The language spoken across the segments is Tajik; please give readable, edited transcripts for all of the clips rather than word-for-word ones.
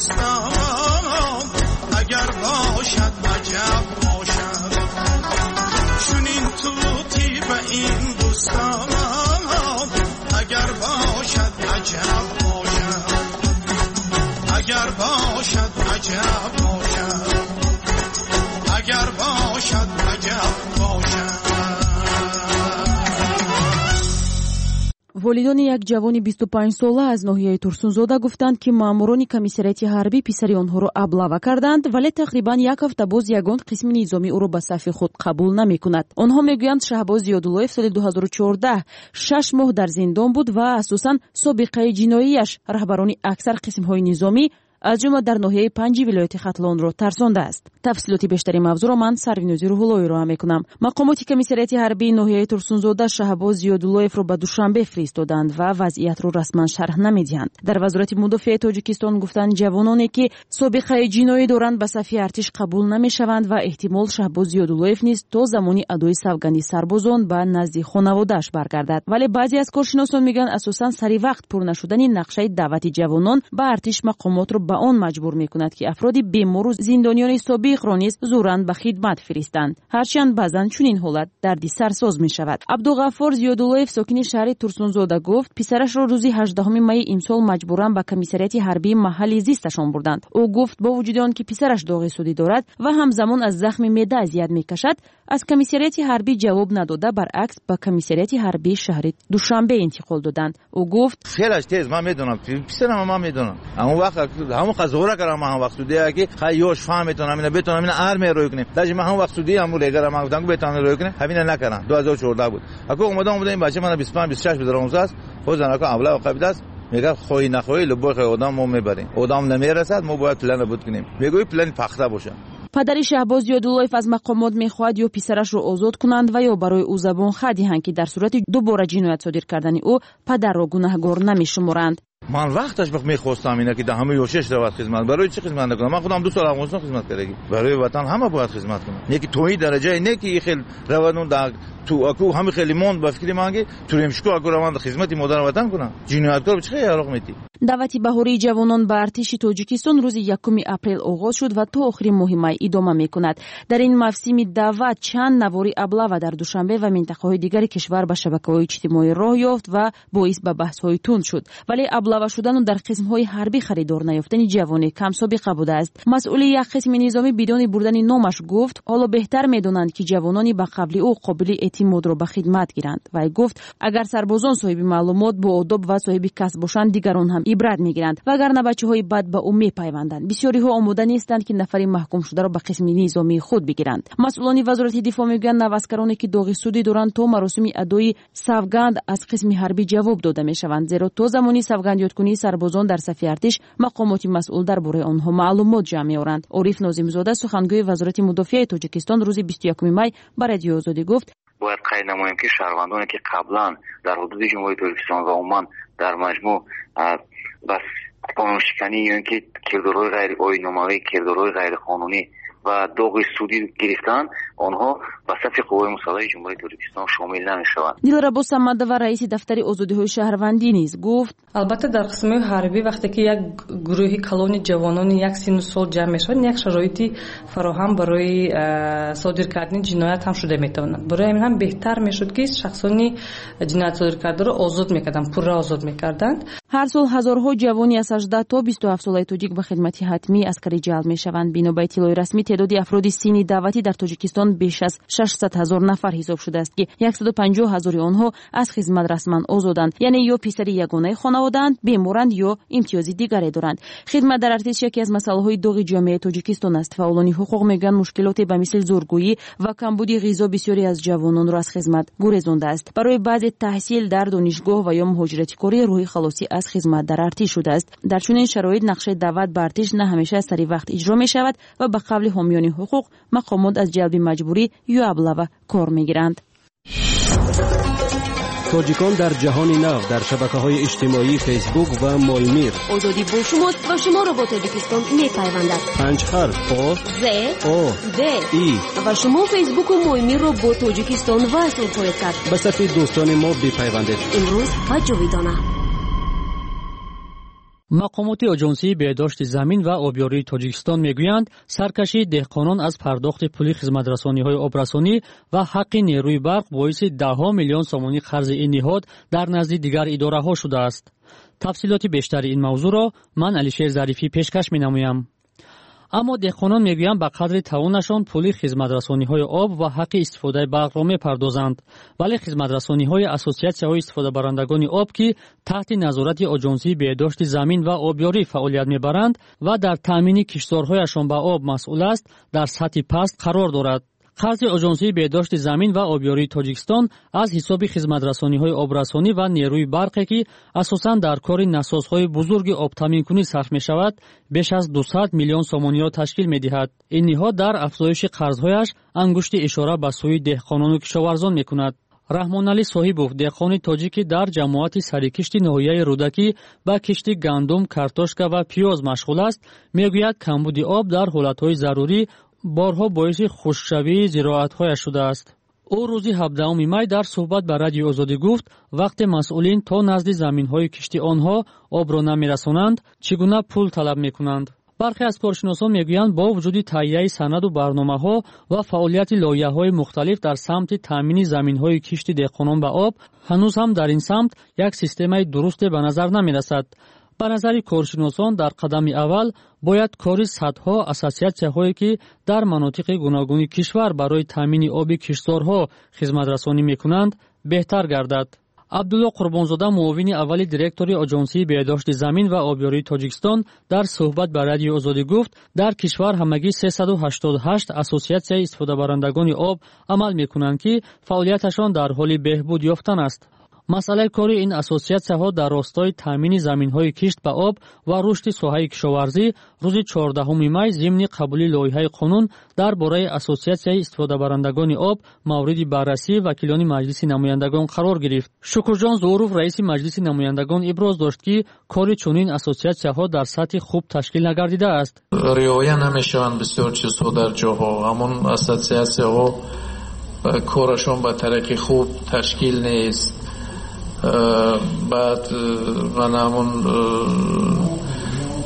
بوستان اگر باشد عجب باشد، چنین طوطی به این بوستان اگر باشد عجب باشد، اگر باشد عجب باشد، اگر باشد عجب باشد. Волидони як ҷавони 25-сола аз ноҳияи Турсунзода гуфтанд, ки маъмурони комиссариати ҳарбӣ писари онҳоро аблава карданд, вале тақрибан як ҳафта боз ягон қисми низомӣ ӯро ба сафи худ қабул намекунад. Онҳо мегӯянд, Шаҳбоз Зиёдуллоев соли 2014 6 моҳ дар зиндон буд ва асосан собиқаи ҷиноияш раҳбарони аксар қисмҳои низомӣ аз ҷумла дар ноҳияи Панҷи вилояти Хатлонро тарсондааст. Тафсилоти бештари мавзӯъро ман Сарвинози Рӯҳулло ироа мекунам. Мақомоти комиссариати ҳарбии ноҳияи Турсунзода Шаҳбоз Зиёдуллоевро ба Душанбе фиристоданд ва вазъиятро расман шарҳ намедиҳанд. Дар Вазорати мудофиаи Тоҷикистон гуфтанд, ҷавононе ки собиқаи ҷиноӣ доранд, ба сафи артиш қабул намешаванд ва эҳтимол Шаҳбоз Зиёдуллоев низ то замони адои савганди сарбозон ба назди хонаводааш баргардад. Вале баъзе аз коршиносон мегӯянд, асосан сари вақт пур нашудани нақшаи даъвати ҷавонон ба артиш мақомотро ба он маҷбур мекунад, ки афроди бемору зиндониёни собиқро низ зӯран ба хидмат фиристанд. Ҳарчанд баъзан чунин ҳолат дарди сарсоз мешавад. Абдуғаффор Зиёдуллоев, сокини шаҳри Турсунзода, гуфт, писарашро рӯзи 18 майи имсол маҷбуран ба комиссариати ҳарбии маҳалли зисташон бурданд. Ӯ гуфт, бо вуҷуди он ки писараш доғи судӣ дорад ва ҳамзамон аз захми меъда азият мекашад, аз комиссариати ҳарбӣ ҷавоб надода, баръакс ба комиссариати ҳарбии шаҳри Душанбе интиқол доданд. Ӯ гуфт: хелаш тез ман медонам, писарам ман медонам. Он вақт ҳамон қазора кардам, ман ҳам вақт судия ки хай ёш фаҳм метонам, ина бетонам, ина армия рой кунем. Даже ман ҳам вақт судия ҳамон регара ман гуфтам, бетонам рой кунем, ҳамина накардам. 2014 буд. Аку омадам ин бача мана 25 26 буд, аст. Худ занака авла қабид аст. Мегӯяд, хоҳӣ нахоҳӣ, любой хоҳӣ одам мо мебарем. Одам намерасад, мо бояд план буд кунем. Мегӯӣ план пахта бошад. Падари Шаҳбоз Зиёдуллоев аз мақомот мехоҳад ё писарашро озод кунанд ва ё барои ӯ забон ха диҳанд, ки дар сурати дубора ҷиноят содир кардани ӯ падарро гунаҳгор намешуморанд. Ман вақташ мехостам ина ки дар ҳама ёшаш равад хизмат. Барои чӣ хизмат накунам? Ман худам 2 сол Афғонистон хизмат кардагӣ. Барои ватан ҳама бояд хизмат кунанд. Не ки то ин дараҷае не ки ин хел равад дар ту аку ҳама хеле монд ба фикри ман ки туремшико аку раванд хизмати модари ватан кунанд. Ҷинояткор чӣ хел яроқ метӣ? Даъвати баҳории ҷавонон ба артиши Тоҷикистон рӯзи 1 апрел оғоз шуд ва то охири моҳи май идома мекунад. Дар ин мавсими даъват чанд навори аблава дар Душанбе ва минтақаҳои дигари кишвар ба шабакаҳои иҷтимоӣ роҳ ёфт ва боис ба баҳсҳои тунд шуд. Вале аблава шудану дар қисмҳои ҳарбӣ харидор наёфтани ҷавоне камсобиқа будааст. Масъули як қисми низомӣ бидуни бурдани номаш гуфт, ҳоло беҳтар медонанд, ки ҷавонони ба қавли ӯ қобили эътимодро ба хидмат гиранд. Вай гуфт, агар сарбозон соҳиби маълумот, боодоб ва соҳиби касб бошанд, дигарон ҳам ибрат мегиранд, вагарна бачаҳои бад ба ӯ мепайванданд. Бисёриҳо омода нестанд, ки нафари маҳкумшударо ба қисми низомии худ бигиранд. Масъулони Вазорати дифоъ мегӯянд, наваскароне ки доғи судӣ доранд, то маросими адои савганд аз қисми ҳарбӣ ҷавоб дода мешаванд, зеро то замони савгандёдкунии сарбозон дар сафи артиш мақомоти масъул дар бораи онҳо маълумот ҷамъ меоранд. Ориф Нозимзода, сухангӯи Вазорати мудофиаи Тоҷикистон, рӯзи 21 май ба Радиои Озодӣ гуфт: бояд қайд намоем, ки шаҳрвандоне ки қаблан дар ҳудуди Ҷумҳурии Тоҷикистон ва умуман дар маҷмӯъ ба қонуншиканӣ ё ин ки кирдорҳои ғайриоинномавӣ, кирдорҳои ғайриқонунӣ ва доғи судӣ гирифтанд, онҳо ба сафи қувваҳои мусаллаҳи Ҷумҳурии Тоҷикистон шомил намешаванд. Дилрабо Самадова, раиси дафтари озодиҳои шаҳрвандӣ, низ гуфт: албатта дар қисмҳои ҳарбӣ вақте ки як гурӯҳи калони ҷавонони як синну сол ҷамъ мешаванд, як шароити фароҳам барои содир кардани ҷиноят ҳам шуда метавонад. Барои ҳамин ҳам беҳтар мешуд, ки шахсони ҷиноят содир кардаро озод мекарданд, пурра озод мекарданд. Ҳар сол ҳазорҳо ҷавони аз 18 то 27 солаи тоҷик ба хидмати ҳатмии аскарӣ ҷалб мешаванд. Бино ба иттилои расмӣ, теъдоди афроди синни даъватӣ дар Тоҷикистон беш аз 600 ҳазор нафар ҳисоб шудааст, ки 150 ҳазори онҳо аз хизмат расман озоданд, яъне ё писари ягонаи хонаводаанд, беморанд ё имтиёзи дигаре доранд. Хидмат дар артиш яке аз масъалаҳои доғи ҷомеаи Тоҷикистон аст. Фаъолони ҳуқуқ мегӯянд, мушкилоте ба мисли зӯргӯӣ ва камбуди ғизо бисёре аз ҷавононро аз хизмат гурезондааст. Барои баъзе таҳсил дар донишгоҳ ва ё муҳоҷирати корӣ рӯҳи халосӣ аз хизмат дар артиш шудааст. Дар чунин шароит нақшаи даъват ба артиш на ҳамеша сари вақт иҷро мешавад ва ба қавли ҳомиёни ҳуқуқ мақомот аз ҷалби маҷбурӣ ё аблава кор мегиранд. Тоҷикон дар ҷаҳони нав дар шабакаҳои иҷтимоии Фейсбук ва Моймир. Озодӣ бо шумост ва шуморо бо Тоҷикистон мепайвандад. 5 ҳарф О З О Д И ва шумо Фейсбуку Моймирро бо Тоҷикистон васл хоҳед кард. Ба сафи дӯстони мо бипайвандед. Имрӯз ва ҷовидона. Мақомоти Оҷонсии беҳдошти замин ва обёрии Тоҷикистон мегӯянд, саркашии деҳқонон аз пардохти пули хизматрасониҳои обрасонӣ ва ҳаққи нерӯи барқ боиси даҳҳо миллион сомонӣ қарзи ин ниҳод дар назди дигар идораҳо шудааст. Тафсилоти бештари ин мавзӯъро ман, Алишер Зарифӣ, пешкаш менамоям. Аммо деҳқонон мегӯянд, ба қадри тавонашон пули хизматрасониҳои об ва ҳаққи истифодаи барқро мепардозанд, вале хизматрасониҳои ассотсиатсияҳои истифодабарандагони об, ки таҳти назорати Оҷонсии беҳдошти замин ва обёрӣ фаъолият мебаранд ва дар таъмини киштзорҳояшон ба об масъул аст, дар сатҳи паст қарор дорад. Қарзи Оҷонсии беҳдошти замин ва обёрии Тоҷикистон аз ҳисоби хизматрасониҳои обрасонӣ ва нерӯи барқе, ки асосан дар кори насосҳои бузурги обтаъминкунӣ сарф мешавад, беш аз 200 миллион сомониро ташкил медиҳад. Ин ниҳод дар афзоиши қарзҳояш ангушти ишора ба сӯи деҳқонону кишоварзон мекунад. Раҳмоналӣ Соҳибов, деҳқони тоҷикӣ, дар ҷамоати Сарикишти ноҳияи Рӯдакӣ ба кишти гандум, картошка ва пиёз машғул аст, мегӯяд, камбуди об дар ҳолатҳои зарурӣ борҳо боиси хушкшавии зироатҳояш шудааст. Ӯ рӯзи 17 май дар суҳбат ба Радиои Озодӣ гуфт, вақте масъулин то назди заминҳои кишти онҳо обро намерасонанд, чӣ гуна пул талаб мекунанд. Бархе аз коршиносон мегӯянд, бо вуҷуди таҳияи санаду барномаҳо ва фаъолияти лоиҳаҳои мухталиф дар самти таъмини заминҳои кишти деҳқонон ба об, ҳанӯз ҳам дар ин самт як системаи дурусте ба назар намерасад. Ба назари коршиносон, дар қадами аввал бояд кори садҳо ассотсиатсияҳое, ки дар манотиқи гуногуни кишвар барои таъмини оби киштзорҳо хизматрасонӣ мекунанд, беҳтар гардад. Абдулло Қурбонзода, муовини аввали директори Оҷонсии беҳдошти замин ва обёрии Тоҷикистон, дар суҳбат ба Радиои Озодӣ гуфт, дар кишвар ҳамагӣ 388 ассотсиатсияи истифодабарандагони об амал мекунанд, ки фаъолияташон дар ҳоли беҳбуд ёфтан аст. Масъалаи кори ин ассотсиатсияҳо дар ростои таъмини заминҳои кишт ба об ва рушди соҳаи кишоварзӣ рӯзи 14 май зимни қабули лоиҳаи қонун дар бораи ассотсиатсияи истифодабарандагони об мавриди баррасии вакилони Маҷлиси намояндагон қарор гирифт. Шукурҷон Зуҳуров, раиси Маҷлиси намояндагон, иброз дошт, ки кори чунин ассотсиатсияҳо дар сатҳи хуб ташкил нагардидааст. Риоя намешаванд бисёр чизҳо дар ҷоҳо. Ҳамон ассотсиатсияҳо корашон ба тариқи хуб ташкил нест. Баъд ман ҳамун,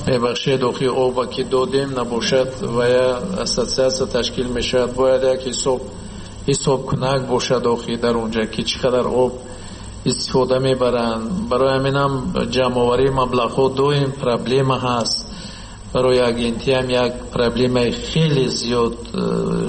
мебахшед, охи оба ки додем набошад ва я ассотсиатсия ташкил мешавад, бояд як ҳисобкунак бошад охи дар онҷа, ки чӣ қадар об истифода мебаранд. Барои ҳаминам ҷамъоварии маблағҳо доим проблема ҳаст. Барои агентиам як проблемаи хеле зиёд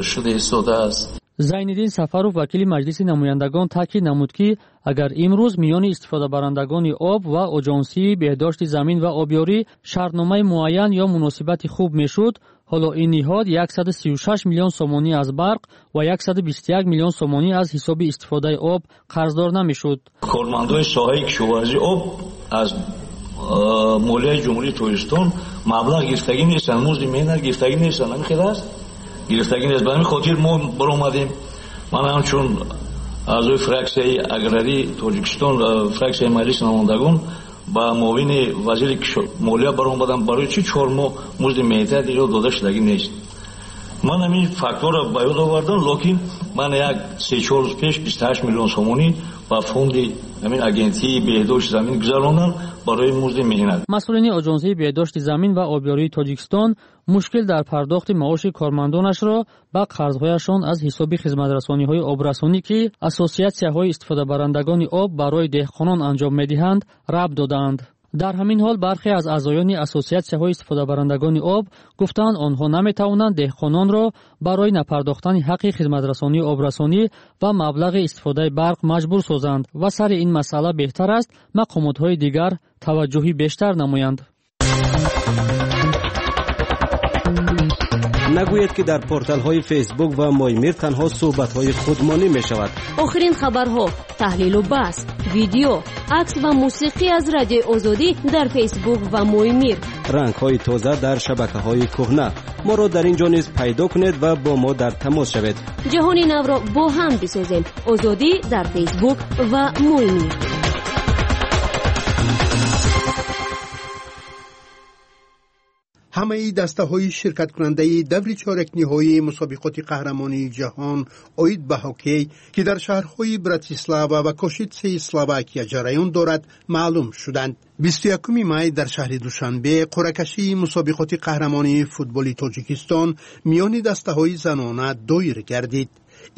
шуда истодааст. Зайниддин Сафаров, вакили Маҷлиси намояндагон, таъкид намуд, ки агар имрӯз миёни истифодабарандагони об ва Оҷонсии беҳдошти замин ва обёрӣ шартномаи муайян ё муносибати хуб мешуд, ҳоло ин ниҳод 136 миллион сомонӣ аз барқ ва 121 миллион сомонӣ аз ҳисоби истифодаи об қарздор намешуд. Кормандони соҳаи кишоварзии об аз молияи Ҷумҳурии Тоҷикистон маблағ гирифтагӣ нестанд, музди меҳнат гирифтагӣ нестанд. Ҳамин хел аст, гирифтагӣ нест. Ба ҳамин хотир мо баромадем. Ман ҳамчун аъзои фраксияи аграрии Тоҷикистон, фраксияи Маҷлиси намояндагон, ба муовини вазири молия баромадам, барои чӣ 4 моҳ музди меҳнат иҷо дода шудагӣ нест. Ман ҳамин фактҳоро ба ёд овардам, лекин ман як се-чор рӯз пеш 28 миллион сомонӣ ба фонди ҳамин агентии беҳдошти замин гузарондам барои музди меҳнат. Масъулини Оҷонсии беҳдошти замин ва обёрии Тоҷикистон мушкил дар пардохти маоши кормандонашро ба қарзҳояшон аз ҳисоби хизматрасониҳои обрасонӣ, ки ассотсиатсияҳои истифодабарандагони об барои деҳқонон анҷом медиҳанд, рабт додаанд. Дар ҳамин ҳол бархе аз аъзоёни ассотсиатсияҳои истифодабарандагони об гуфтанд, онҳо наметавонанд деҳқононро барои напардохтани ҳаққи хизматрасонии обрасонӣ ва маблағи истифодаи барқ маҷбур созанд ва сари ин масъала беҳтар аст мақомотҳои дигар таваҷҷӯҳи бештар намоянд. Нагӯед, ки дар порталҳои Фейсбук ва Моймир танҳо суҳбатҳои худмонӣ мешавад. Охирин хабарҳо, таҳлилу баҳс, видео, акс ва мусиқӣ аз Радиои Озодӣ дар Фейсбук ва Моймир. Рангҳои тоза дар шабакаҳои кӯҳна. Моро дар ин ҷо низ пайдо кунед ва бо мо дар тамос шавед. Ҷаҳони навро бо ҳам бисозем. Озодӣ дар Фейсбук ва Моймир. Ҳамаи дастаҳои ширкаткунандаи даври чорякниҳоии мусобиқоти қаҳрамонии ҷаҳон оид ба ҳоккей, ки дар шаҳрҳои Братислава ва Кошитсеи Словакия ҷараён дорад, маълум шуданд. 21 май дар шаҳри Душанбе қуръакашии мусобиқоти қаҳрамонии футболи Тоҷикистон миёни дастаҳои занона доир гардид.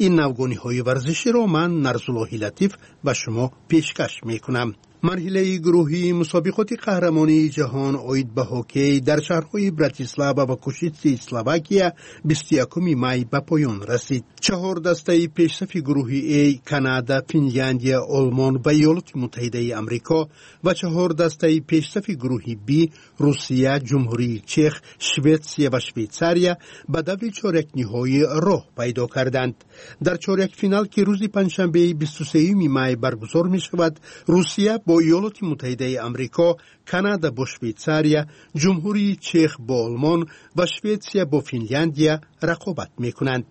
Ин навгониҳои варзиширо ман, Нарзуллоҳи Латиф, ба шумо пешкаш мекунам. Марҳилаи гурӯҳии мусобиқоти қаҳрамонии ҷаҳон оид ба ҳоккей дар шаҳрҳои Братислава ва Кошитсеи Словакия 21 май ба поён расид. Чаҳор дастаи пешсафи гурӯҳи А, Канада, Финляндия, Олмон ва Иёлоти Муттаҳидаи Амрико, ва чаҳор дастаи пешсафи гурӯҳи Б, Русия, Ҷумҳурии Чех, Шветсия ва Швейтсария, ба даври чорякниҳоӣ роҳ пайдо карданд. Дар чорякфинал, ки рӯзи панҷшанбеи 23 май баргузор мешавад, Русия бо Иёлоти Муттаҳидаи Амрико, Канада бо Швейтсария, Ҷумҳурии Чех бо Олмон ва Шветсия бо Финляндия рақобат мекунанд.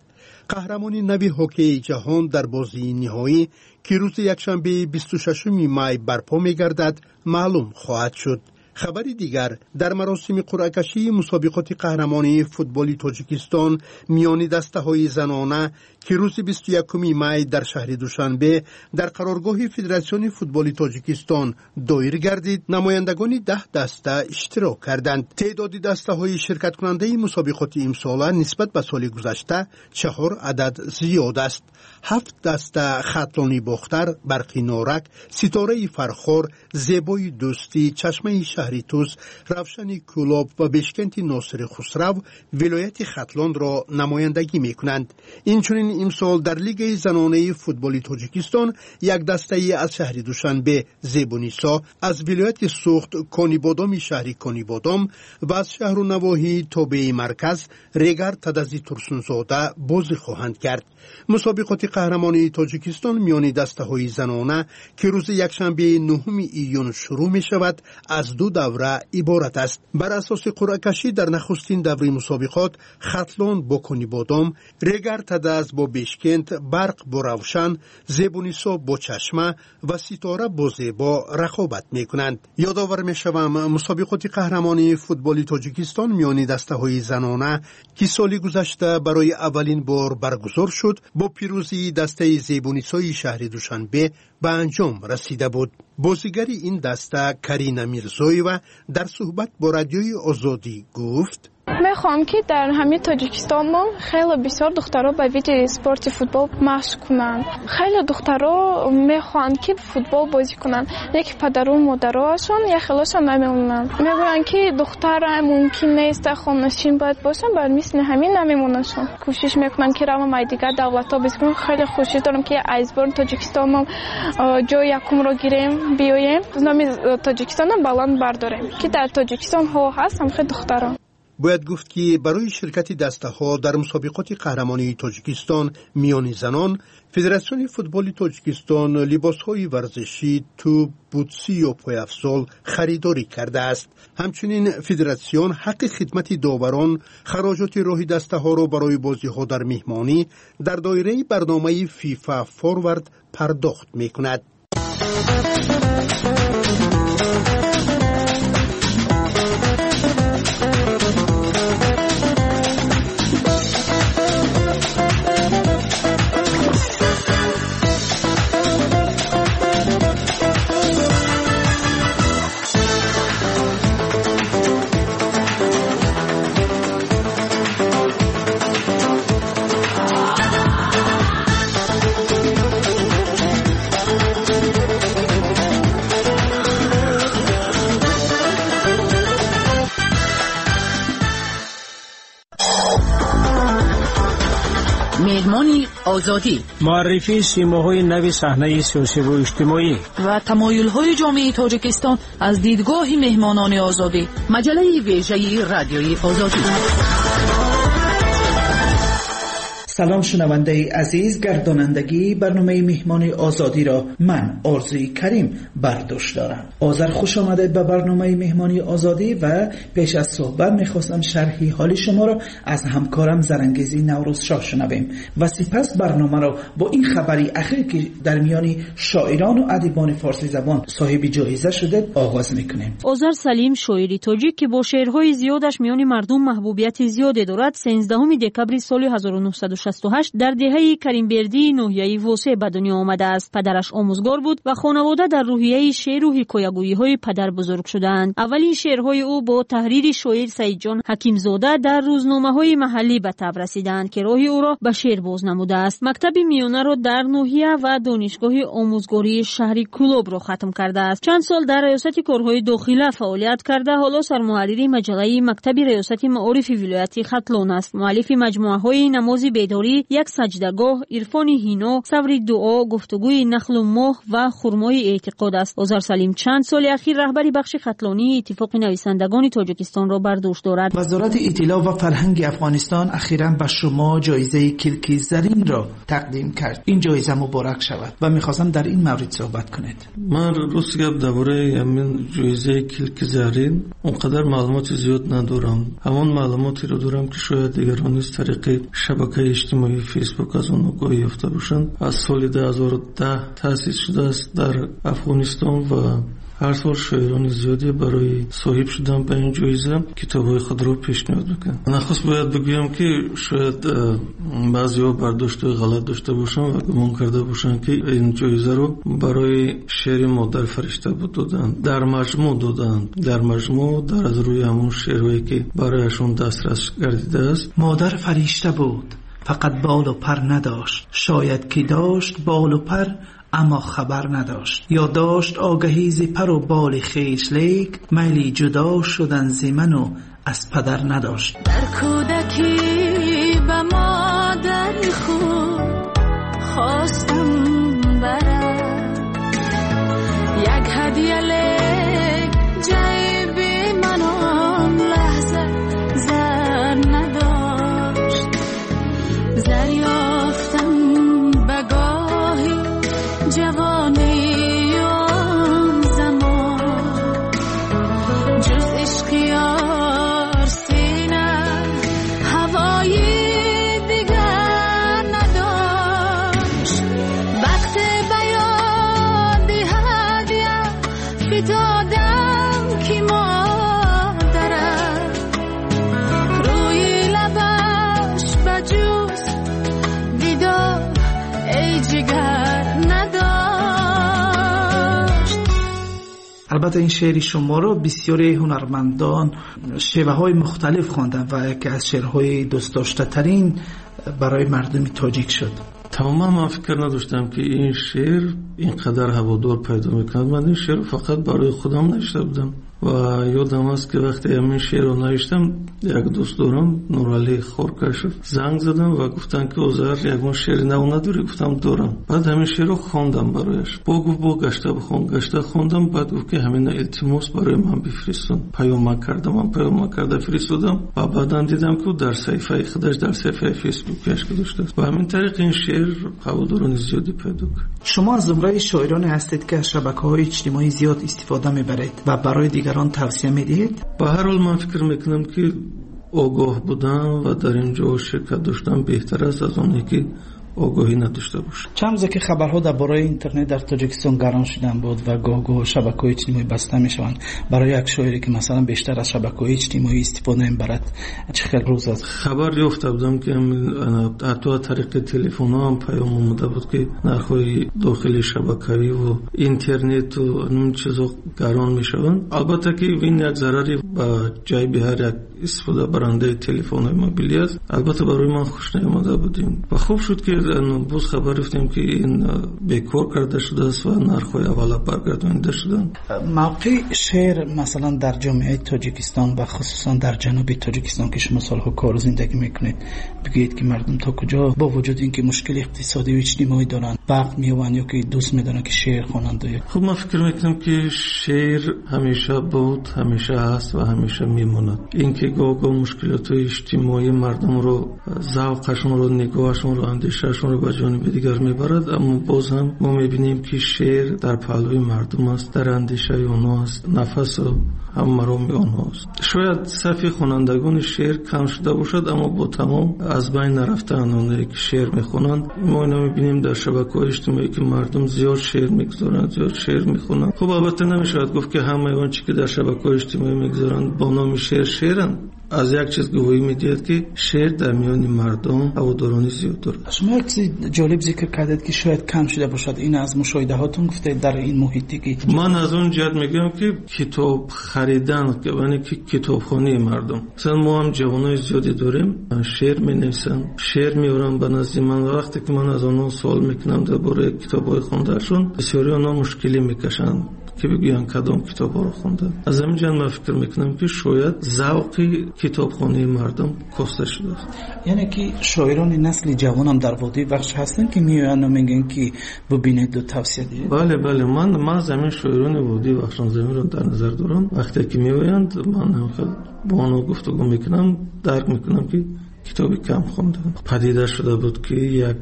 Қаҳрамони нави ҳоккеи ҷаҳон дар бозии ниҳоӣ, ки рӯзи якшанбеи 26 май барпо мегардад, маълум хоҳад шуд. Хабари дигар: дар маросими қуръакашии мусобиқоти қаҳрамонии футболи Тоҷикистон миёни дастаҳои занона, ки рӯзи 21 май дар шаҳри Душанбе дар қароргоҳи Федератсиони футболи Тоҷикистон доир гардид, намояндагони 10 даста иштирок карданд. Теъдоди дастаҳои ширкаткунандаи мусобиқоти имсола нисбат ба соли гузашта чаҳор адад зиёд аст. Ҳафт даста: Хатлони Бохтар, Барқи Норак, Ситораи Фархор, Зебои Дӯстӣ, Чашмаи шаҳри Тӯс, Равшани Кӯлоб ва Бешкенти Носири Хусрав вилояти Хатлонро намояндагӣ мекунанд. Инчунин имсол дар Лигаи занонаи футболи Тоҷикистон як дастаи аз шаҳри Душанбе, Зебунисо, аз вилояти Суғд, Конибодоми шаҳри Конибодом, ва аз шаҳру навоҳии тобеи марказ, Регар Тадази Турсунзода бозӣ хоҳанд кард. Мусобиқоти қаҳрамонии Тоҷикистон миёни дастаҳои занона, ки рӯзи якшанбеи 9 июн шурӯъ мешавад, аз ду давра иборат аст. Бар асоси қуръакашӣ, дар нахустин даври мусобиқот Хатлон бо Конибодом, Регар Тадаз бо Бешкент, Барқ бо Равшан, Зебунисо бо Чашма ва Ситора бо Зебо рақобат мекунанд. Ёдовар мешавам, мусобиқоти қаҳрамонии футболи Тоҷикистон миёни дастаҳои занона, ки соли гузашта барои аввалин бор баргузор шуд, бо пирӯзии дастаи Зебунисои шаҳри Душанбе ба анҷом расида буд. Бозигари ин даста Карина Мирзоева дар суҳбат бо Радиои Озодӣ гуфт: Мехоҳам, ки дар ҳамин Тоҷикистон мо хеле бисёр духтаро ба види спорти футбол машқ кунанд. Хеле духтаро мехоҳанд, ки футбол бозӣ кунанд, лекин падару модароашон яхелошон намемонанд, мегӯянд, ки духтара мумкин нест, хонашин бояд бошанд. Бар мисли ҳамин намемонандшон. Кӯшиш мекунанд, ки равам ай дигар давлатҳо бозӣ кунам. Хеле хушӣ дорам, ки аз бори Тоҷикистон мо ҷои якумро гирем, биёем, номи Тоҷикистонро баланд бардорем, ки дар Тоҷикистон ҳо ҳаст ҳамхел духтаро. Бояд гуфт, ки барои ширкати дастаҳо дар мусобиқоти қаҳрамонии Тоҷикистон миёни занон Федератсиони футболи Тоҷикистон либосҳои варзишӣ, тӯб, бутсӣ ё пойафзол харидорӣ кардааст. Ҳамчунин федератсион ҳаққи хидмати доварон, хароҷоти роҳи дастаҳоро барои бозиҳо дар меҳмонӣ дар доираи барномаи ФИФА Форвард пардохт мекунад. Меҳмони Озодӣ. Муаррифии симоҳои нави саҳнаи сиёсиву иҷтимоӣ ва тамоюлҳои ҷомеаи Тоҷикистон аз дидгоҳи меҳмонони Озодӣ. Маҷаллаи вежаи Радиои Озодӣ. Салом шунавандаи азиз, гардонандагии барномаи меҳмони озодиро ман Орзуи Карим бар дӯш дорам. Озар, хуш омадед ба барномаи меҳмони озодӣ ва пеш аз суҳбат мехостам шарҳи ҳоли шуморо аз ҳамкорам Зарангези Наврӯзшоҳ шунавем ва сипас барномаро бо ин хабари ахир ки дар миёни шоирон ва адибони форсизабон соҳиби ҷоиза шудед оғоз мекунем. Озар Салим, шоири тоҷик ки бо шеърҳои зиёдаш миёни мардум маҳбубияти зиёде дорад, 13 декабри соли 1968 дар деҳаи Каримбердии ноҳияи Восеъ ба дунё омадааст. Падараш омӯзгор буд ва хонавода дар рӯҳияи шеъру ҳикоягӯиҳои падар бузург шудаанд. Аввалин шеърҳои ӯ бо таҳрири шоир Саидҷон Ҳакимзода дар рӯзномаҳои маҳаллӣ ба таб расидаанд, ки роҳи ӯро ба шеър боз намудааст. Мактаби миёнаро дар ноҳия ва донишгоҳи омӯзгории шаҳри Кӯлобро хатм кардааст. Чанд сол дар раёсати корҳои дохила фаъолият карда, ҳоло сармуҳаррири маҷаллаи мактаби раёсати маорифи вилояти Хатлон аст. Муаллифи маҷмӯаҳои намози бедорӣ, як саҷдагоҳ, ирфони ҳино, саври дуо, гуфтугӯи нахлу моҳ ва хурмои эътиқод аст. Озар Салим чанд соли ахир раҳбари бахши хатлонии Иттифоқи нависандагони Тоҷикистонро бар дӯш дорад. Вазорати иттилоъ ва фарҳанги Афғонистон ахиран ба шумо ҷоизаи Килки Заринро тақдим кард. Ин ҷоиза муборак шавад ва мехостам дар ин маврид суҳбат кунед. Ман рост гап дар бораи ҳамин ҷоизаи Килки Зарин он қадар маълумоти зиёд надорам. Ҳамон маълумотеро дорам ки шояд дигарон низ тариқи шабакаи иҷтимоии Фейсбук аз он огоҳӣ ёфта бошанд. Аз соли 2010 таъсис шудааст дар Афғонистон ва ҳар сол шоирони зиёде барои соҳиб шудан ба ин ҷоиза китобҳои худро пешниҳод мекунанд. Нахуст бояд бигӯям ки шояд баъзеҳо бардоштҳои ғалат дошта бошанд ва гумон карда бошанд ки ин ҷоизаро барои шеъри модар фаришта буд доданд. Дар маҷмӯъ доданд. Дар маҷмӯъ дар аз рӯи ҳамон шеърҳое ки барояшон дастрас гардидааст. Модар фаришта буд, фақат болу пар надошт. Шояд ки дошт болу пар, аммо хабар надошт. Ё дошт огаҳӣ зи пару боли хеш, лек майли ҷудо шудан зи ману аз падар надошт. Дар кӯдакӣ ба модари худ хостам барам як ҳадя, лек ҷайби ман он лаҳза зар надошт. Зар ёфтам ба гоҳи ҷавонӣ он замон, ҷуз ишқи ёр сина ҳавои дигар надошт. Вақт ба ёди ҳадя фитодам ки модарам рӯи лабаш ба ҷуз дидор эй ҷигар надошт. Албатта ин шеъри шуморо бисёри ҳунармандон шеваҳои мухталиф хонданд ва яке аз шеърҳои дӯстдоштатарин барои мардуми тоҷик шуд. Тамоман ман фикр надоштам ки ин шеър ин қадар ҳаводор пайдо мекунад. Ман ин шеърро фақат барои худам навишта будам ва ёдам аст ки вақте ҳамин шеърро навиштам як дӯст дорам, Нуралӣ Хоркашев, занг задам ва гуфтанд ки Озар, ягон шеъри нав надорӣ? Гуфтам дорам. Баъд ҳамин шеърро хондам барояш. Бо гуфт бо гашта бихон. Гашта хондам, баъд гуфт ки ҳамина илтимос барои ман бифиристон. Паёмак кардам, ман паёмак карда фиристодам ва баъдан дидам ки дар саҳифаи худаш, дар саҳифаи Фейсбукаш гузоштааст. Ба ҳамин тариқ ин шеър ҳаводорони зиёде пайдо кард. Шумо аз зумраи шоироне ҳастед ки аз шабакаҳои иҷтимоӣ зиёд истифода мебаред ва барои дигарон тавсия медиҳед? Ба ҳар ҳол ман фикр мекунам ки огоҳ будан ва дар ин ҷо ширкат доштан беҳтар аст аз оне ки огоҳӣ надошта бошад. Чанд рӯзе ки хабарҳо дар бораи интернет дар Тоҷикистон гарон шудан буд ва гоҳ-гоҳ шабакаҳои иҷтимоӣ баста мешаванд, барои як шоире ки масалан бештар аз шабакаҳои иҷтимоӣ истифода мебарад чӣ хел рӯз аст? Хабар ёфта будам ки ҳатто аз тариқи телефонҳо ҳам паём омада буд ки нархҳои дохили шабакавӣ ва интернету ин чизҳо гарон мешаванд. Албатта ки ин як зарари ба ҷайби ҳар як истифодабарандаи телефонҳои мобилӣ аст. Албатта барои ман хуш наомада буд ин ва хуб шуд ки Боз хабар ёфтем, ки ин бекор карда шудааст ва нархҳои аввала баргардонида шуданд. Мавқеи шеър масалан дар ҷомеаи Тоҷикистон ва хусусан дар ҷануби Тоҷикистон, ки шумо солҳо кору зиндагӣ мекунед, бигӯед, ки мардум то куҷо бо вуҷуди ин ки мушкили иқтисодӣ ва иҷтимоӣ доранд, вақт меёбанд ё ки дӯст медоранд, ки шеър хонанд? Хуб, ман фикр мекунам, ки шеър ҳамеша буд, ҳамеша ҳаст ва ҳамеша мемонад. Ин ки гоҳ-гоҳ мушкилотҳои иҷтимоии мардумро, завқашонро, нигоҳашонро, андешаашонро ба ҷониби дигар мебарад, аммо боз ҳам мо мебинем, ки шеър дар паҳлӯи мардум аст, дар андешаи онҳо аст, нафасу ҳам мароми онҳост. Шояд сафи хонандагони шеър кам шуда бошад, аммо бо тамом аз байн нарафтаанд онҳое, ки шеър мехонанд. Мо ино мебинем дар шабакаҳои иҷтимоӣ, ки мардум зиёд шеър мегузоранд, зиёд шеър мехонанд. Хуб, албатта намешавад гуфт, ки ҳамаи он чӣ ки дар шабакаҳои иҷтимоӣ мегузоранд, бо номи шеър шеъранд. Аз як чиз гувоҳӣ медиҳад, ки шеър дар миёни мардум ҳаводорони зиёд дорад. Шумо як чизи ҷолиб зикр кардед, ки шояд кам шуда бошад. Ин аз мушоҳидаҳотон гуфтед дар ин муҳите ки Ман аз он ҷиҳат мегӯям, ки китоб харидан, яъне ки китобхонии мардум. Масалан, мо ҳам ҷавонои зиёде дорем, шеър менависанд, шеър меоранд ба назди ман ва вақте ки ман аз онҳо суол мекунам дар бораи китобҳои хондаашон, бисёри онҳо мушкилӣ мекашанд, ки бигӯянд кадом китобҳоро хонданд. Аз ҳамин ҷиҳат ман фикр мекунам, ки шояд завқи китобхонии мардум коста шудааст. Яъне ки шоирони насли ҷавонам дар водии Вахш ҳастанд, ки меоянд мегӯянд, ки бубинеду тавсия диҳед? Бале, бале, ман маҳз ҳамин шоирони водии Вахшонзаминро дар назар дорам. Вақте ки меоянд, ман бо онҳо гуфтугӯ мекунам, дарк мекунам, ки китоби кам хонданд. Падида шуда буд, ки як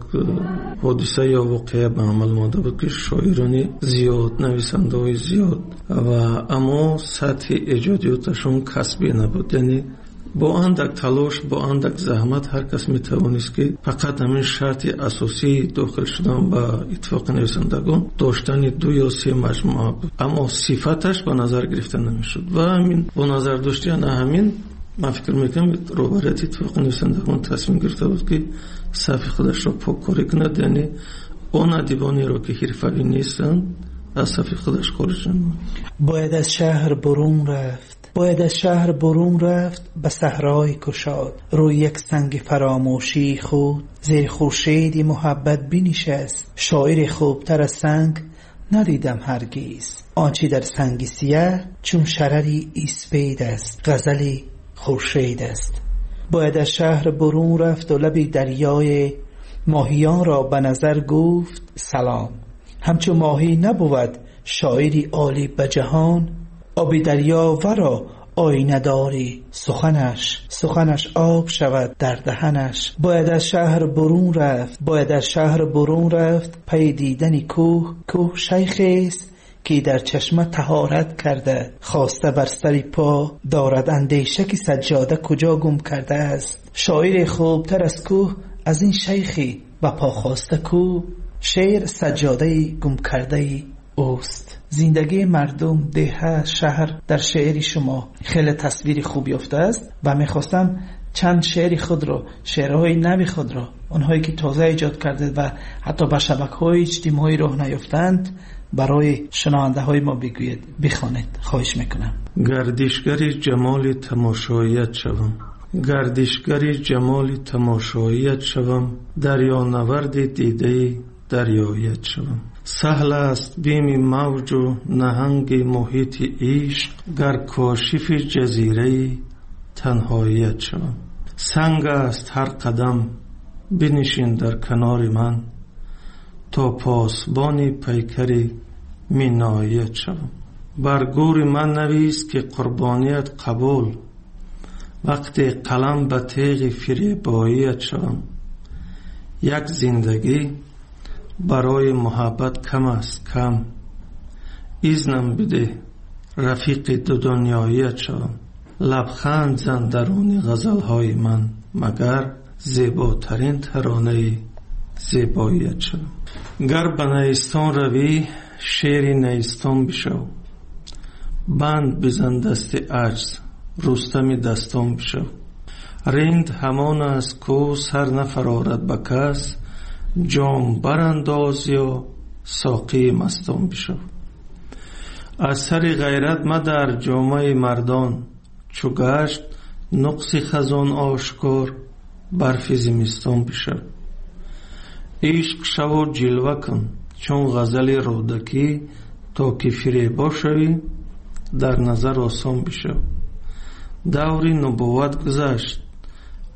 ҳодиса ё воқеа ба амал омада буд, ки шоирони зиёд, нависандаҳои зиёд, ва аммо сатҳи эҷодиёташон касбӣ набуд. Яъне бо андак талош, бо андак заҳмат ҳар кас метавонист, ки фақат ҳамин шарти асосии дохил шудан ба иттифоқи нависандагон доштани ду ё се маҷмӯа буд, аммо сифаташ ба назар гирифта намешуд. Ва ҳамин бо назардошти ана ҳамин, ман фикр мекунам, роҳбарияти иттифоқи нависандагон тасмим гирифта буд, ки сафи худашро поккорӣ кунад, яъне он адибонеро, ки ҳирфавӣ нестанд, аз сафи худаш хориҷ намояд. Бояд аз шаҳр бурун рафт, бояд аз шаҳр бурун рафт ба саҳрои кушод, рӯи як санги фаромӯшии худ зери хуршеди муҳаббат бинишаст. Шоири хубтар аз санг надидам ҳаргиз. Он чи дар санги сиёҳ чун шарари испед аст, ғазали хуршед аст. Бояд аз шаҳр бурун рафт ва лаби дарёи моҳиёнро ба назар гуфт салом. Ҳамчу моҳӣ набуд шоири олӣ ба ҷаҳон, оби дарё варо оина дори суханаш, суханаш об шавад дар даҳанаш. Бояд аз шаҳр бурун рафт, бояд аз шаҳр бурун рафт пай дидани кӯҳ. Кӯҳ шайхест, ки дар чашма таҳорат карда, хоста бар сари по дорад андеша, ки саҷҷода куҷо гум кардааст. Шоири хубтар аз кӯҳ аз ин шайхи ба по хоста кӯ, шеър саҷҷодаи гум кардаи ӯст. Зиндагии мардум, деҳа, шаҳр дар шеъри шумо хеле тасвири хуб ёфтааст ва мехостам чанд шеъри худро, шеърҳои нави худро, онҳое ки тоза эҷод кардед ва ҳатто ба шабакаҳои иҷтимоӣ роҳ наёфтаанд, барои шунавандаҳои мо бигӯед, бихонед. Хоҳиш мекунам. Гардишгари ҷамоли тамошоият шавам, гардишгари ҷамоли тамошоият шавам, дарёнаварди дидаи дарёият шавам. Саҳл аст бими мавҷу наҳанги муҳити ишқ, гар кошифи ҷазираи танҳоият шавам. Санг аст ҳар қадам, бинишин дар канори ман, то посбони пайкари миноият шавам. Бар гӯри ман навис, ки қурбоният қабул, вақте қалам ба теғи фиребоият шавам. Як зиндагӣ барои муҳаббат кам аст, кам, изнам бидеҳ рафиқи дудунёият шавам. Лабханд зан даруни ғазалҳои ман, магар зеботарин таронаи зебоият шавам. Гар ба найистон равӣ, шери найистон бишав, банд бизан дасти аҷз, рустами дастон бишав. Ринд ҳамон аст, ку сар нафарорад ба кас, ҷом барандоз ё соқии мастон бишав. Аз сари ғайрат мадар ҷомаи мардон, чу гашт нуқси хазон ошкор, барфи зимистон бишав. Ишқ шаву ҷилва кун чун ғазали Рӯдакӣ, то ки фиребо шавӣ, дар назар осон бишав. Даври нубувват гузашт,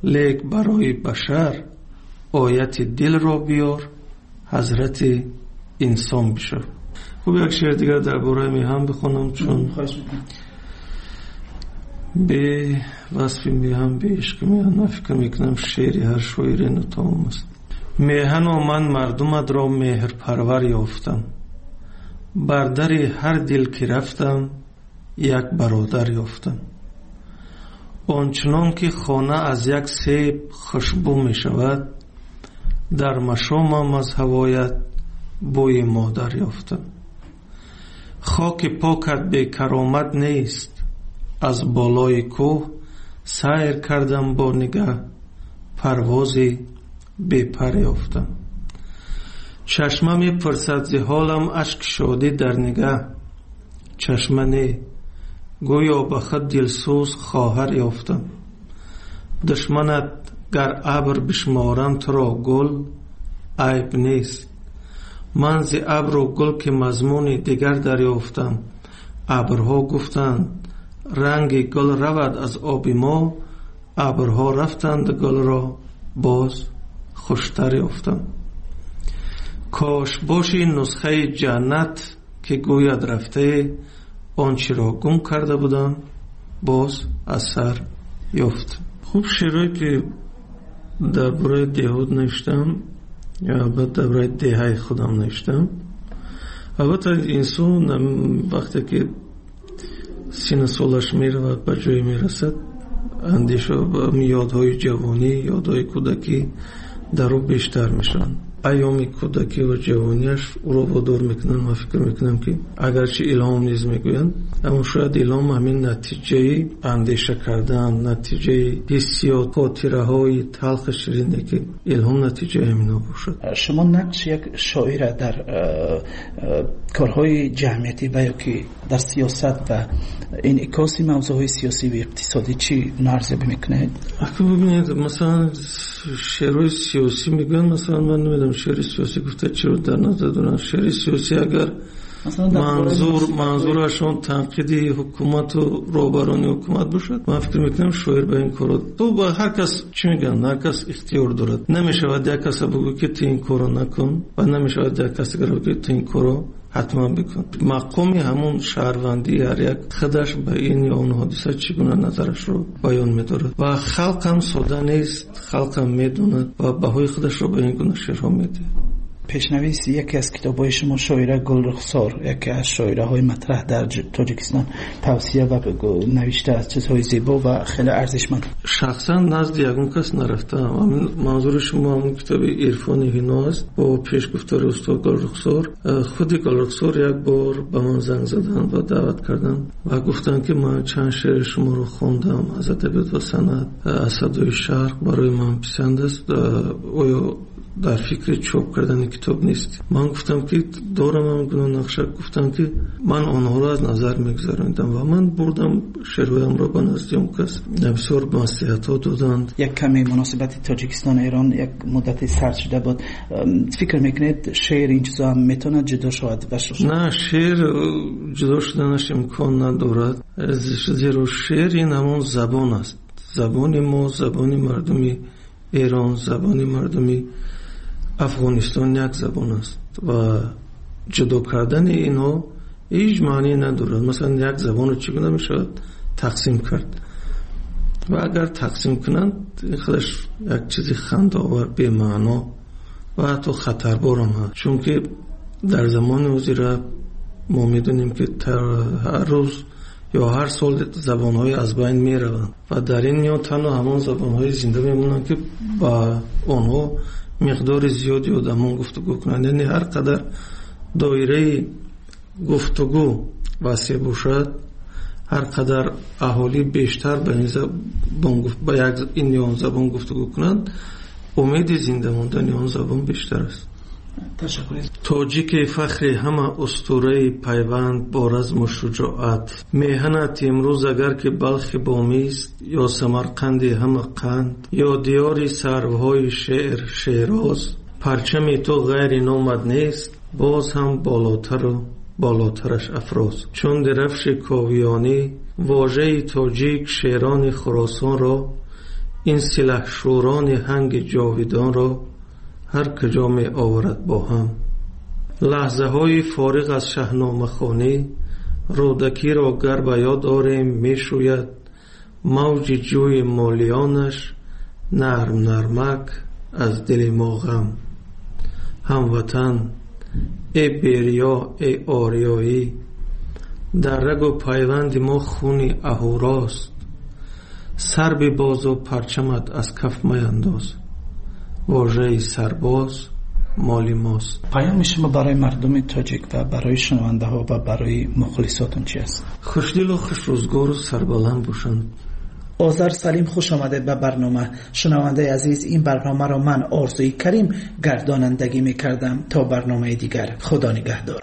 лек барои башар ояти дилро биёр, ҳазрати инсон бишав. Хуб, як шеър дигар дар бораи меҳан бихонам, чун бе васфи меҳан, бе ишқи меҳан ман фикр мекунам шеъри ҳар шоире нотамом аст. Меҳано ман мардуматро меҳрпарвар ёфтам, бар дари ҳар дил ки рафтам як бародар ёфтам. Ончунон ки хона аз як себ хушбӯ мешавад, дар машомам аз ҳавоят бӯи модар ёфтам. Хоки покат бекаромат нест, аз болои кӯҳ сайр кардам бо нигаҳ, парвози бепар ёфтам. Чашма мепурсад зи ҳолам ашки шодӣ дар нигаҳ, чашма не, гӯё ба худ дилсӯз хоҳар ёфтам. Душманат гар абр бишморам туро гул, айб нест. Ман зи абру гул ки мазмуни дигар дарёфтам. Абрҳо гуфтанд ранги гул равад аз оби мо, абрҳо рафтанд гулро боз хуштар ёфтам. Кош боши нусхаи ҷаннат ки гӯяд рафтае, он чиро гум карда будам боз аз сар ёфт. Хуб, шеърое ки дар бораи деҳот навиштам, албатта дар бораи деҳаи худам навиштам. Албатта инсон вақте ки сину солаш меравад, ба ҷое мерасад, андеша ёдҳои ҷавонӣ, ёдҳои кӯдакӣ дар ӯ бештар мешаванд. Айёми кӯдакӣ ва ҷавониаш ӯро водор мекунанд. Ман фикр мекунам ки агарчи илҳом низ мегӯянд, аммо шояд илҳом ҳамин натиҷаи андеша кардан, натиҷаи ҳиссиёт, хотираҳои талхи ширине ки илҳом натиҷаи ҳамино бошад. Шумо нақши як шоира дар корҳои ҷамъиятӣ ва ё ки дар сиёсат ва инъикоси мавзӯъҳои сиёсӣ ва иқтисодӣ чӣ арзёбӣ мекунед? Ака бибинед, масалан шеърҳои сиёсӣ мегӯянд, масалан ман намедонам шеъри сиёсӣ гуфта чиро дар назар доранд. Шеъри сиёсӣ агар манзурашон танқиди ҳукумату роҳбарони ҳукумат бошад, ман фикр мекунам шоир ба ин корро то ба ҳар кас чӣ мегӯянд, ҳар кас ихтиёр дорад. Намешавад як каса бигӯ ки ту ин корро накун ва намешавад як кас дигар бигӯ ки ту ин корро ҳатман бикун. Мақоми ҳамон шаҳрвандии ҳар як худаш ба ин ё он ҳодиса чӣ гуна назарашро баён медорад ва халқ ҳам сода нест, халқ ҳам медонад ва баҳои худашро ба ин гуна шеърҳо медиҳад. Пешнавис яке аз китобҳои шумо шоира Гулрухсор, яке аз шоираҳои матраҳ дар Тоҷикистон, тавсия ва навишта аз чизҳои зебо ва хеле арзишманд. Шахсан назди ягон кас нарафтаам. Манзури шумо ҳамон китоби Ирфони Ҳино аст бо пешгуфтори устод Гулрухсор. Худи Гулрухсор як бор ба ман занг заданд ва даъват карданд ва гуфтанд ки ман чанд шеъри шуморо хондам аз адабиёт ва санъат, аз садои шарқ, барои ман писанд аст, оё дар фикри чоп кардани китоб нест? Ман гуфтам ки дорам ҳам гуна нақша. Гуфтам ки ман онҳоро аз назар мегузаронидам ва ман бурдам шеърҳоямро ба назди он кас. Бисёр маслиҳатҳо доданд. Як каме муносибати Тоҷикистон Эрон як муддати сард шуда буд. Фикр мекунед шеър ин чизо ҳам метавонад ҷудо шавад? На, шеър ҷудо шуданаш имкон надорад, зеро шеър ин ҳамон забон аст. Забони мо, забони мардуми Эрон, забони мардуми Афғонистон як забон аст ва ҷудо кардани инҳо ҳеҷ маъне надорад. Масалан як забонро чӣ гуна мешавад тақсим кард? Ва агар тақсим кунанд, худаш як чизи хандаовар, бемаъно ва ҳатто хатарбор ҳам ҳаст. Чунки дар замони ҳозира мо медонем ки ҳар рӯз ё ҳар сол забонҳои аз байн мераванд ва дар ин миён танҳо ҳамон забонҳои зинда мемонанд ки ба онҳо миқдори зиёди одамон гуфтугӯ кунанд. Яъне ҳар қадар доираи гуфтугӯ васеъ бошад, ҳар қадар аҳолӣ бештар ба ин забон ба як ин ё он забон гуфтугӯ кунанд, умеди зинда мондани он забон бештар аст. Тоҷики фахри ҳама устураи пайванд бо разму шуҷоат, меҳанат имрӯз агар ки Балхи бомист, ё Самарқанди ҳама қанд, ё диёри сарвҳои шеър Шероз, Парчами ту ғайри номат нест, боз ҳам болотару болотараш афрӯз. Чун дирафши ковиёнӣ, вожаи тоҷик шерони Хуросонро, ин силаҳшӯрони ҳанги ҷовидонро ҳар куҷо меоварад бо ҳам. Лаҳзаҳои фориғ аз шаҳномахонӣ, Рӯдакиро гар ба ёд орем, мешӯяд мавҷи ҷӯи молиёнаш нарм нармак аз дили мо ғам. Ҳамватан, эй бериё, эй ориёӣ, дар рагу пайванди мо хуни аҳурост. Сар бибозу парчамат аз каф маяндоз, вожаи сарбоз моли мост. Паёми шумо барои мардуми тоҷик ва барои шунавандаҳо ва барои мухлисотон чи аст? Хушдилу хушрӯзгору сарбаланд бошанд. Озар Салим, хуш омадед ба барнома. Шунавандаи азиз, ин барномаро ман, Орзуи Карим, гардонандагӣ мекардам. То барномаи дигар, Худо нигаҳдор.